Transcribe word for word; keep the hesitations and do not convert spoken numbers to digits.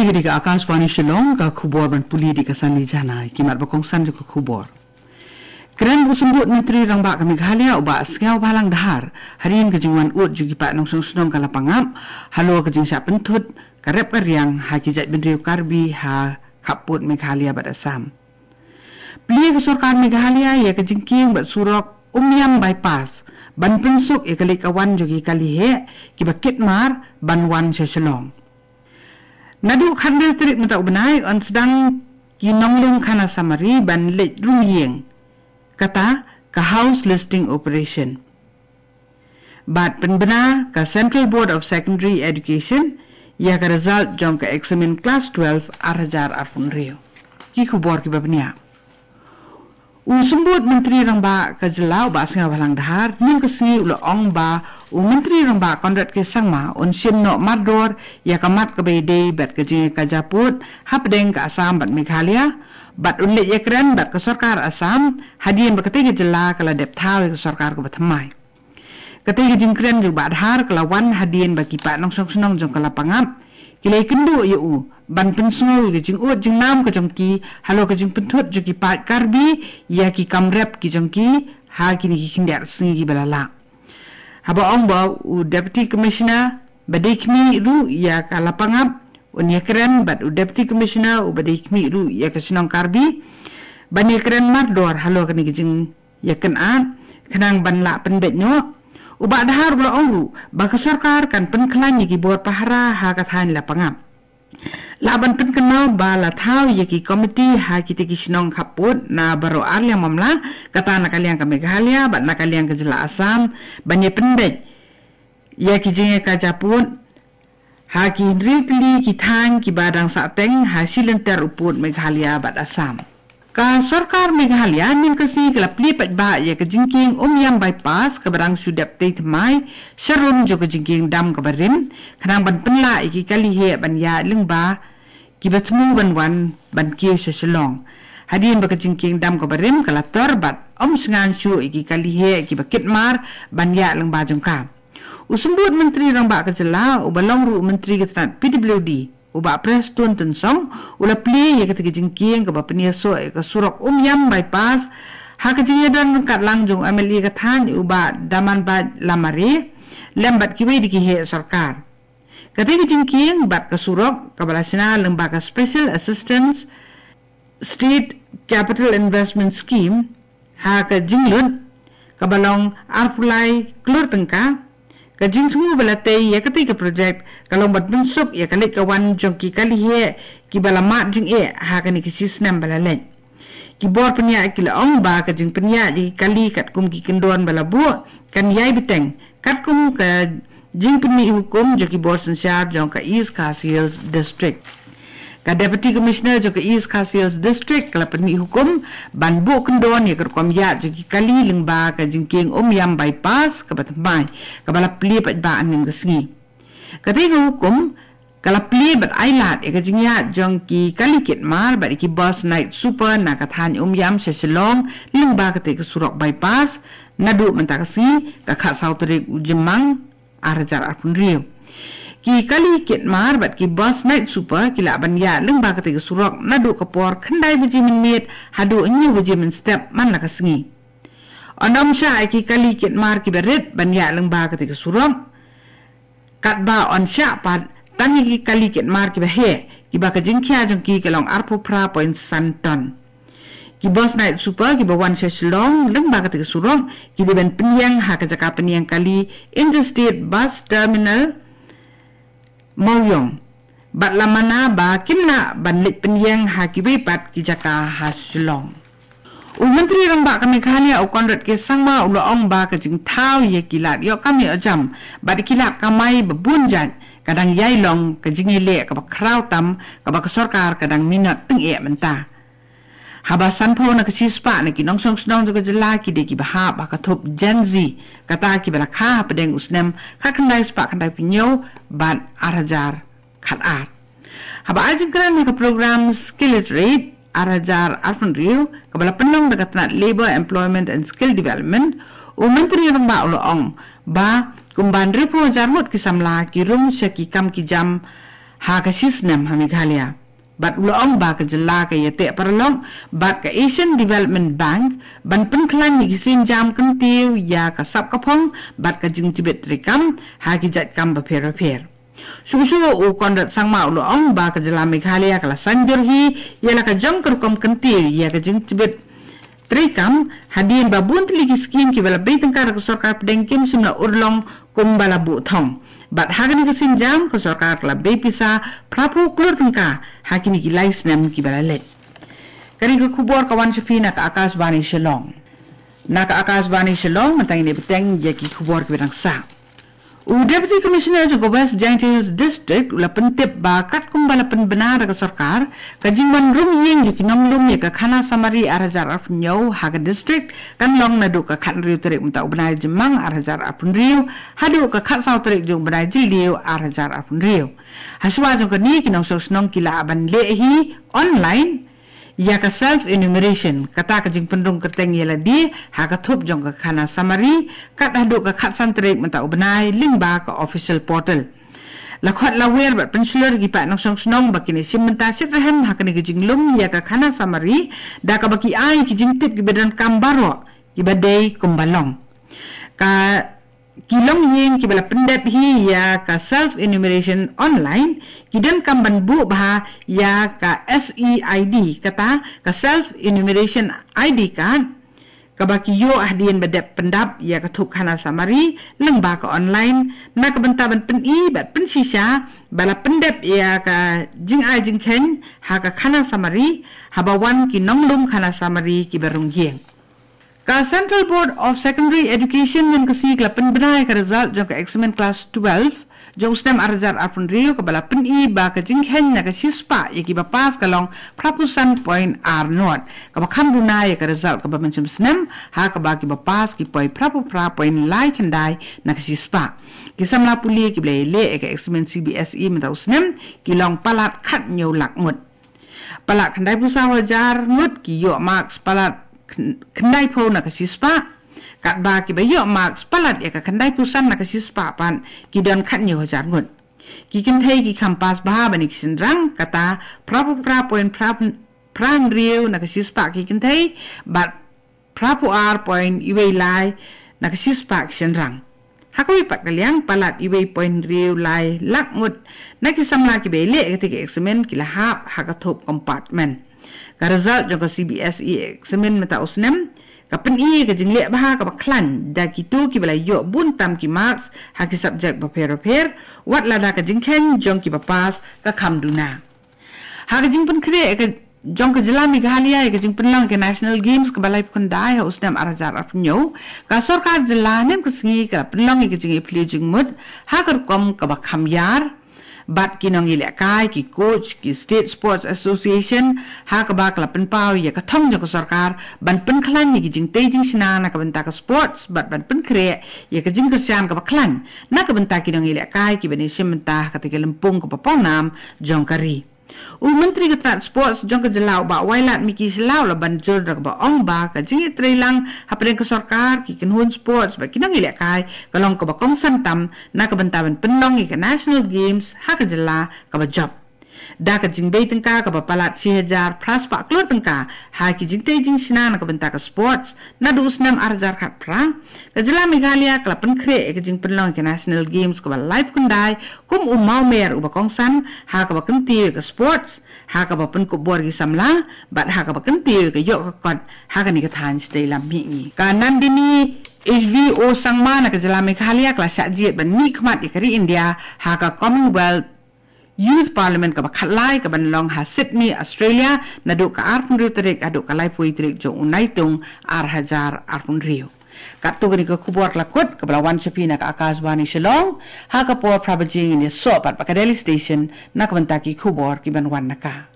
Hi ka dei ka Akashvani Shillong, ka khubor ban pule da ka Sanli Jana, ki mat ba kongsan jong ka khubor. Kren u Symbud Myntri Rangbah ka Meghalaya u Bah Sniawbhalang Dhar, hadien ka jingwan ud jong ki paid nongshong shnong ka Lapangap, halor ka jingshah pynthut ka rep ka riang ha ki jaitbynriew Karbi ha khappud Meghalaya bad Assam. Plie ka sorkar Meghalaya ïa ka jingkieng bad surok Umiam Bypass ban pynsuk ïa ka leit ka wan jong ki kali heh kiba kit mar ban wan sha Shillong. Naduh khathynriew tarik mynta u bnai yn sdang ki nongleit khana samari ban leit rung ïing. Kata ka house listing operation. Bad pynbna ka Central Board of Secondary Education ïa ka result jong ka eksamin klas twelve ar hajar arphew hynriew. Ki khubor kiba bniah. U Symbud Myntri Rangbah ka jylla u Bah Sniawbhalang Dhar, hynnin ka sngi u la ong ba u Myntri Rangbah Conrad K Sangma un shim noh mardor ïa ka mat kaba ïadei bad ka jingïakajia pud hapdeng ka Assam bad Meghalaya, bad un leit ïakren bad ka sorkar Assam hadien ba katei ka jylla ka la dep thaw ïa ka sorkar kaba thymmai. Katei ka jingkren jong u Bah Dhar ka la wan hadien ba ki paid nongshong shnong jong ka Lapangap ki la ïakynduh ïa u ban pynsngew ïa ka jingud jingnam ka jong ki halor ka jingpynthut jong ki paid Karbi ïa ki kam rep ki jong ki ha kine ki khyndiat sngi kiba la leit. Haba ong ba u Deputy Commissioner ba dei khmih ruh ïa ka Lapangap un ïakren bad u Deputy Commissioner uba dei khmih ruh ïa ka shnong Karbi ban ïakren mardor halor kane ka jing ïa kane, khnang ban lah pynbeit noh. U Bah Dhar u la ong ruh ba ka sorkar kan pynkhlaiñ ïa ki bor pahara ha ka thaiñ Lapangap. Lah ban pynkynmaw ba la thaw ïa ki komiti ha kitei ki shnong khappud na baroh ar liang mamla, kata na ka liang ka Meghalaya bad na ka liang ka jylla Assam, ban ïa pynbeit ïa ki jingïakajia pud ha ki hynriew tylli ki thaiñ kiba dang sahteng ha shi lynter u pud Meghalaya bad Assam. Ka sorkar Meghalaya mynta ka sngi ka la plie paidbah ïa ka jingkieng Umiam Bypass kaba dang shu dep tei thymmai sharum jong ka jingkieng dam kaba rim, khnang ban pynlah ïa ki kali heh ban ïaid lyngba kiba thmu ban wan ban kiew sha Shillong. Hadien ba ka jingkieng dam kaba rim ka la tor bad ym shngaiñ shuh ïa ki kali heh kiba kit mar ban ïaid lyngba jong ka. U Symbud Myntri Rangbah ka jylla uba long ruh u Myntri ka tnat P W D, u Bah Prestone Tynsong, u la plie ïa katei ka jingkieng kaba pynïasoh ïa ka surok Umiam Bypass ha ka jingïadon ryngkat lang jong u M L A ka thaiñ u Bah Damanbait Lamare lem bad kiwei de ki heh sorkar. Katei ka jingkieng bad ka surok kaba la shna lyngba ka Special Assistance State Capital Investment Scheme ha ka jinglut kaba long arphew lai klur tyngka. Ka jingthmu ba la tei ïa katei ka projek ka long ban pynsuk ïa ka leit ka wan jong ki kali heh kiba la mad jingeh ha kane ka shi snem ba la leit. Ki bor pynïaid ki la ong ba ka jingpynïaid ïa ki kali katkum ki kyndon ba la buh kan ïai bteng katkum ka jingpynmih hukum jong ki bor synshar jong ka East Khasi Hills District. Ka Deputy Commissioner jong ka East Khasi Hills District ka la pynmih hukum ban buh kyndon ïa ka rukom ïaid jong ki kali lyngba ka jingkieng Umiam Bypass kaba thymmai, kaba la plie paidbah hynnin ka sngi. Katei ka hukum ka la plie bad ai lad ïa ka jingïaid jong ki kali kit mar bad ïa ki bus night super na ka thaiñ Umiam sha Shillong lyngba katei ka surok bypass naduh mynta ka sngi, ka khatsaw tarik u Jymmang ar hajar arphew hynriew. Ki kali kit mar bad ki bus night super ki lah ban ïaid lyngba katei ka surok naduh ka por khyndai baje mynmiet haduh hynñiew baje mynstep man la ka sngi. Yn ym shah ïa ki kali kit mar kiba rit ban ïaid lyngba katei ka surok. Katba yn shah pat tang ïa ki kali kit mar kiba heh, kiba ka jingkhia jong ki ka long arphew phra point san ton. Ki bus night super kiba wan sha Shillong lyngba katei ka surok ki dei ban pynïeng ha ka jaka pynïeng kali Interstate Bus Terminal Mawïong. Bad la mana ba kim lah ban leit pynïeng ha kiwei pat ki jaka ha Shillong. U Myntri Rangbah ka Meghalaya u Conrad K Sangma u la ong ba ka jingthaw ïa ki lad ïoh kam ïoh jam bad ki lad kamai ba bun jait ka dang ïai long ka jingïaleh kaba khraw tam kaba ka sorkar ka dang minot tyngeh mynta. Haba sanphew na ka shispah na ki nongshong shnong jong ka jylla ki dei kiba hap ha ka thup Gen Z, kata kiba la kha hapdeng u snem khatkhyndai spah khyndaiphew hynñiew bad ar hajar khatar. Haba ai jingkren ha ka program Skill Literate ar hajar arphew hynriew kaba la pynlong da ka tnat Labour, Employment and Skill Development, u Myntri Rangbah u la ong ba kumba hynriewphew hajar ngut ki samla ki rung sha ki kam ki jam ha ka shisnem ha Meghalaya. Bad u la ong ba ka jylla ka ïateh paralok bad ka Asian Development Bank ban pynkhlaiñ ïa ki sienjam kyntiew ïa ka sap ka phong bad ka jingjubit treikam ha ki jait kam bapher bapher. Shuh shuh u Conrad Sangma u la ong ba ka jylla Meghalaya ka la saiñdur hi ïa la ka jong ka rukom kyntiew ïa ka jingjubit treikam hadien ba bun tylli ki skim kiba la bei tyngka da ka sorkar pdeng kim shym la urlong kumba la buh thong. Bad ha kane ka sienjam ka sorkar ka la bei pisa phra phew klur tyngka ha kine ki lai snem kiba la leit. Kane ka khubor ka wan sha phi na ka Akashvani Shillong. Na ka Akashvani Shillong mynta ngin ïa bteng ïa ki khubor kiba dang sah. U Deputy Commissioner jong ka West Jaintia Hills District u la pyntip ba katkum ba la pynbna da ka sorkar, ka jingwan rung ïing jong ki nonglum ïa ka khana samari ar hajar arphew hynñiew ha ka district kan long naduh ka khathynriew tarik mynta u bnai Jymmang ar hajar arphew hynriew haduh ka khatsaw tarik jong u bnai Jylliew ar hajar arphew hynriew. Hashwa jong kane ki nongshong shnong ki lah ban leh hi online ïa ka self enumeration, kata ka jingpynrung kyrteng ïa lade ha ka thup jong ka khana samari kat haduh ka khatsan tarik mynta u bnai lyngba ka official portal. La khot la wer bad pynshlur ïa ki paid nongshong shnong ba kin ïashim bynta shitrhem ha kane ka jinglum ïa ka khana samari da kaba ki ai ki jingtip kiba donkam baroh kiba dei kumba long. Ka Ki longïing kiba la pyndep hi ïa ka self enumeration online ki donkam ban buh bha ïa ka S E I D, kata ka self enumeration I D card, kaba ki ïoh hadien ba dep pyndap ïa ka thup khana samari lyngba ka online, na ka bynta ban pyni bad pynshisha ba la pyndep ïa ka jingai jingkheiñ ha ka khana samari haba wan ki nonglum khana samari kiba rung ïing. Ka Central Board of Secondary Education mynta ka sngi ka la pynbna ïa ka result jong ka eksamin klas twelve jong u snem ar hajar arphew hynriew, kaba la pyni ba ka jingkheiñ na ka shispah ïa kiba pass ka long phra phew san point ar nod, kaba kham duna ïa ka result kaba mynshem snem ha kaba kiba pass ki poi phra phew phra point lai khyndai na ka shispah. Ki samla pule kiba la ïaleh ïa ka eksamin C B S E mynta u snem ki long palat khathynñiew lak ngut. Palat khyndai phew saw hajar ngut ki ïoh marks palat khyn-, khyndai phew na ka shispah. Katba kiba ïoh marks palat ïa ka khyndai phew san na ka shispah pat ki don khathynñiew hajar ngut. Ki kynthei ki kham pass bha ban ïa ki shynrang, kata phra phew phra point phra hynriew na ka shispah ki kynthei bad phra phew ar point wei lai na ka shispah ki shynrang. Ha kawei pat ka liang, palat wei point hynriew lai lak ngut na ki samla kiba ïaleh ïa katei ka eksamin ki la hap ha ka thup compartment. Ka result jong ka C B S E eksamin mynta u snem ka pyni ïa ka jingleh bha kaba khlaiñ da kito kiba la ïoh bun tam ki marks ha ki subject bapher bapher, wat lada ka jingkheiñ jong kiba pass ka kham duna. Ha ka jingpynkhreh ïa ka jong ka jylla Meghalaya ïa ka jingpynlong ïa ka National Games kaba laiphew khyndai ha u snem ar hajar arphew hynñiew, ka sorkar jylla mynta ka sngi ka la pynlong ïa ka jingïaphylliew jingmut ha ka rukom kaba kham ïar bad ki nongïalehkai, ki coach, ki State Sports Association, ha kaba ka la pynpaw ïa ka thong jong ka sorkar ban pynkhlaiñ ïa ki jingtei jingshna na ka bynta ka sports bad ban pynkhreh ïa ka jingkyrshan kaba khlaiñ na ka bynta ki nongïalehkai kiban ïashim bynta ha katei ka lympung kaba pawnam jong ka ri. U Myntri ka tnat sports jong ka jylla u Bah Wailadmiki Shylla u la ban jur da kaba ong ba ka jingïatreilang hapdeng ka sorkar, ki kynhun sports bad ki nongïalehkai ka long kaba kongsan tam na ka bynta ban pynlong ïa ka National Games ha ka jylla kaba jop. Da ka jingbei tyngka kaba palat shi hajar phra spah klur tyngka ha ki jingtei jingshna na ka bynta ka sports, naduh u snem ar hajar khatphra, ka jylla Meghalaya ka la pynkhreh ïa ka jingpynlong ïa ka National Games kaba laiphew khyndai kum u mawmer uba kongsan ha kaba kyntiew ïa ka sports, ha kaba pynkup bor ïa ki samla bad ha kaba kyntiew ïa ka ïoh ka kot ha kane ka thaiñ shatei lam mihngi. Ka Nandini H V O Sangma na ka jylla Meghalaya ka la shah jied ban mihkhmat ïa ka ri India ha ka Commonwealth Youth Parliament kaba khatlai kaban long ha Sydney, Australia, naduh ka arphew hynriew tarik haduh ka laiphew tarik jong u Naitung ar hajar arphew hynriew. Katto katne ka khubor ka la kut kaba la wan sha phi na ka Akashvani Shillong, ha ka por phra baje ngin ïasoh pat bad ka Delhi Station na ka bynta ki khubor kiban wan na ka.